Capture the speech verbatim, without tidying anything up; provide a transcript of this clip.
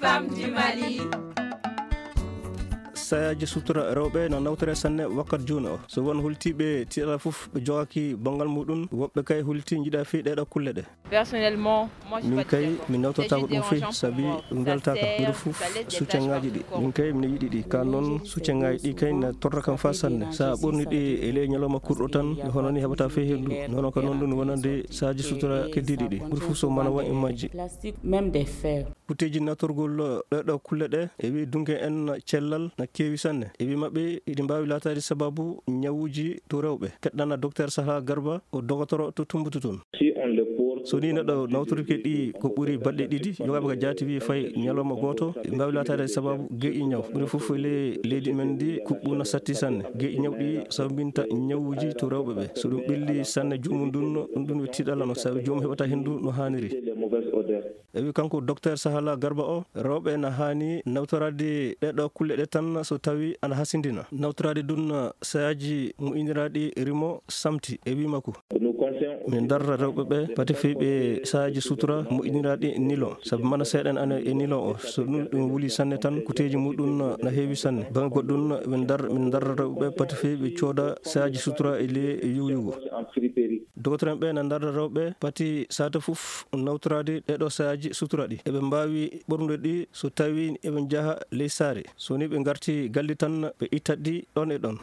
Femmes du Mali. Sayaaji sutura rewɓe na nawtore sanne wakkati jooni o. So won holtiiɓe tiiɗala fof ɓe jogaaki banngal muɗum, woɓɓe kay holti njiɗa fii ɗeeɗo kulle ɗe. Personnellement, moi, je suis pas... Min kay, d'accord, mi nawtortaako ɗum fii, sabi ɗum weltaaka. Mbiɗo fof succangaaji ɗi. Min kay, mino yiɗi ɗi. Ka noon, succangaaji ɗi kay na torra kam faa sanne. So a ɓorni ɗi e ley ñalawma kurɗo tan, hono ni heɓata fii henndu. Noon ka noon ɗum wonande sayaaji sutura keddiiɗi ɗi. Mbiɗo fof so mana won e majji. Même des fers. Kuteeji natorgol ɗeeɗo kulle ɗe, e wi dunke en cellal na keewi sanne. E wi maɓɓe, iɗi mbaawi laataade sababu ñawuuji to rewɓe. Keɗɗana Docteur Saha Garba, o dogotoro to Tumbutu toon. Si on le porte... So ni neɗɗo nawtorike ɗi ko ɓuri baɗɗe ɗiɗi, yogaaɓe ka jaati wi fay ñalawma gooto, iɗi mbaawi laataade sababu geƴi ñaw. Ɓuri fof e ley leydi men ndi, kuɓɓu na satti sanne. Geƴi ñaw ɗi sababinta ñawuuji to rewɓe ɓe. So ɗum ɓilli sanne joomum ndun, ɗum ɗum wi tiiɗalla no sabi joomum heɓata henndu no haaniri. Les mauvaises odeurs. E wi kanko Docteur Sahala Garba o, rewɓe na haani nawtoraade ɗeeɗo kulle ɗe tan so tawi ana hasindina. Nawtoraade ɗum sayaaji moƴƴiniraaɗi rimo samti e wi makko. Nous conseillons... Min darra rewɓe ɓe pati fii ɓe sayaaji sutura moƴƴiniraaɗi nilon. Sabu mana seeɗa en ana e nilon o, so ɗum, ɗum wuli sanne tan, kuteeji muɗum na heewi sanne. Baŋnge goɗɗum, min dar-, min darra rewɓe ɓe pati fii ɓe cooda sayaaji sutura e ley yuwyugo. En friperie. Dogotoro en ɓe na darra rewɓe pati saata fof nawtoraade ɗeeɗo sayaaji sutura ɗi. Eɓe mbaawi ɓornude ɗi so tawi eɓe njaha ley saare. So ni ɓe ngarti galle tan, ɓe ittat ɗi ɗon e ɗon.